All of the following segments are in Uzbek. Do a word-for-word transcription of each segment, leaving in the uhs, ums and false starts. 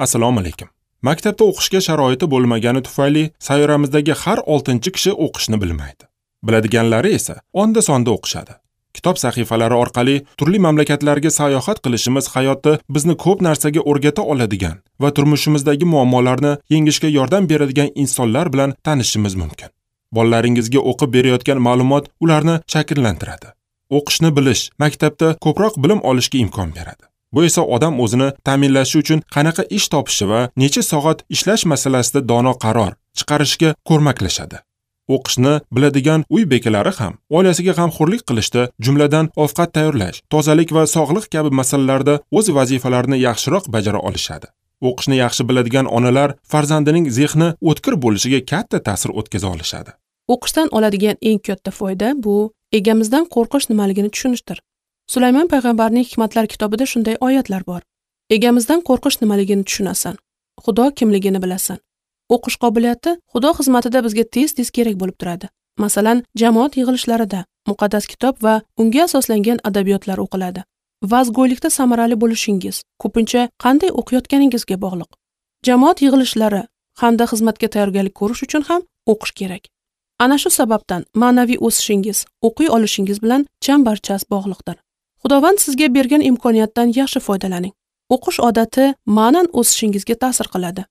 Assalomu alaykum. Maktabda o'qishga sharoiti bo'lmagani tufayli sayyoramizdagi har oltinchi kishi o'qishni bilmaydi. Biladiganlari esa onda-sonda o'qishadi. Kitob sahifalari orqali turli mamlakatlarga sayohat qilishimiz hayotda bizni ko'p narsaga o'rgata oladigan va turmushimizdagi muammolarni yengishga yordam beradigan insonlar bilan tanishishimiz mumkin. Bolalaringizga o'qib berayotgan ma'lumot ularni shakllantiradi. O'qishni bilish maktabda ko'proq bilim olishga imkon beradi. Bu esa odam o'zini ta'minlashi uchun qanaqa ish topishi va necha soat ishlash masalasida dono qaror chiqarishga ko'maklashadi. O'qishni biladigan uy bekalari ham oilasiga g'amxo'rlik qilishda, jumladan ovqat tayyorlash, tozalik va sog'liq kabi masalalarda o'z vazifalarini yaxshiroq bajara olishadi. O'qishni yaxshi biladigan onalar farzandining zehni o'tkir bo'lishiga katta ta'sir o'tkaza olishadi. O'qishdan oladigan eng katta foyda bu egamizdan qo'rqish nimaligini tushunishdir. Sulaymon payg'ambarning Hikmatlar kitobida shunday oyatlar bor. Egamizdan qo'rqish nimaligini tushunasan, Xudo kimligini bilasan. O'qish qobiliyati Xudo xizmatida bizga tez-tez kerak bo'lib turadi. Masalan, jamoat yig'ilishlarida muqaddas kitob va unga asoslangan adabiyotlar o'qiladi. Vazgo'ylikda samarali bo'lishingiz ko'pincha qanday o'qiyotganingizga bog'liq. Jamoat yig'ilishlari hamda xizmatga tayyorgarlik ko'rish uchun ham o'qish kerak. Ana shu sababdan ma'naviy o'sishingiz, o'qiy olishingiz bilan chambarchas bog'liqdir. Xudovand sizga bergan imkoniyatdan yaxshi foydalaning. O'qish odati ma'nan o'sishingizga ta'sir qiladi.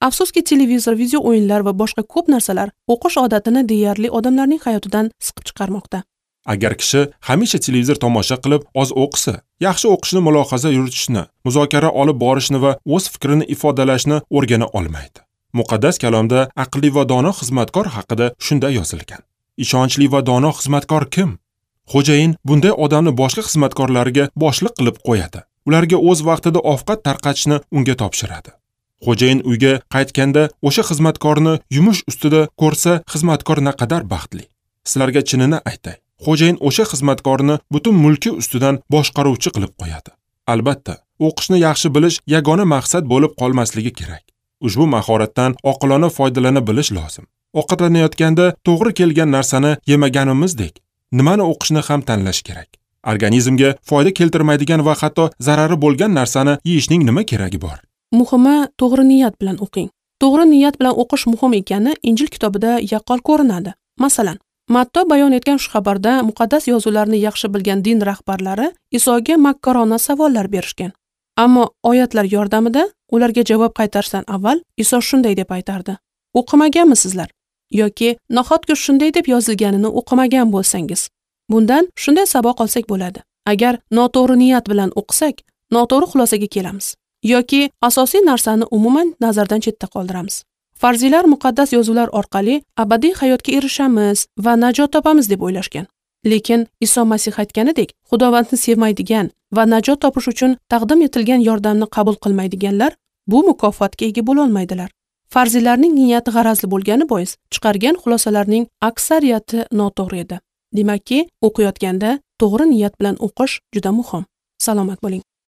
Afsuski, televizor, video o'yinlar va boshqa ko'p narsalar o'qish odatini deyarli odamlarning hayotidan siqib chiqarmoqda. Agar kishi hamisha televizor tomosha qilib oz o'qisa, yaxshi o'qishni mulohaza yuritishni, muzokara olib borishni va o'z fikrini ifodalashni o'rgana olmaydi. Muqaddas kalomda aqlli va dono xizmatkor haqida shunday yozilgan. Ishonchli va dono xizmatkor kim? Xo'jayin bunday odamni boshqa xizmatkorlarga boshliq qilib qo'yadi. Ularga o'z vaqtida ovqat tarqatishni unga topshiradi. Xo'jayin uyga qaytganda o'sha xizmatkorni yumush ustida ko'rsa, xizmatkor naqadar baxtli. Sizlarga chinini aytay. Xo'jayin o'sha xizmatkorni butun mulki ustidan boshqaruvchi qilib qo'yadi. Albatta, o'qishni yaxshi bilish yagona maqsad bo'lib qolmasligi kerak. Ushbu mahoratdan oqilona foydalana bilish lozim. Ovqatlanayotganda to'g'ri kelgan narsani yemaganimizdek, nimani o'qishni ham tanlash kerak. Organizmga foyda keltirmaydigan va hatto zarari bo'lgan narsani yeyishning nima keragi bor? Muhimi, to'g'ri niyat bilan o'qing. To'g'ri niyat bilan o'qish muhim ekani Injil kitobida yaqqol ko'rinadi. Masalan, Matto bayon etgan shu xabarda muqaddas yozuvlarni yaxshi bilgan din rahbarlari Isoga makkorona savollar berishgan. Ammo oyatlar yordamida ularga javob qaytarishdan avval Iso shunday deb aytardi: "O'qimaganmisizlar? Yoki nahotki shunday deb yozilganini o'qimagan bo'lsangiz?" Bundan shunday saboq olsak bo'ladi. Agar noto'g'ri niyat bilan o'qisak, noto'g'ri xulosaga kelamiz yoki asosiy narsani umuman nazardan chetda qoldiramiz. Farziylar muqaddas yozuvlar orqali abadiy hayotga erishamiz va najot topamiz deb o'ylashgan. Lekin Iso Masih aytganidek, Xudovandni sevmaydigan va najot topish uchun taqdim etilgan yordamni qabul qilmaydiganlar bu mukofotga ega bo'la olmaydilar. Farziylarning niyati g'arazli bo'lgani bois chiqargan xulosalarning aksariyati noto'g'ri edi. Demakki, o'qiyotganda to'g'ri niyat bilan o'qish juda muhim. Salomat bo'ling.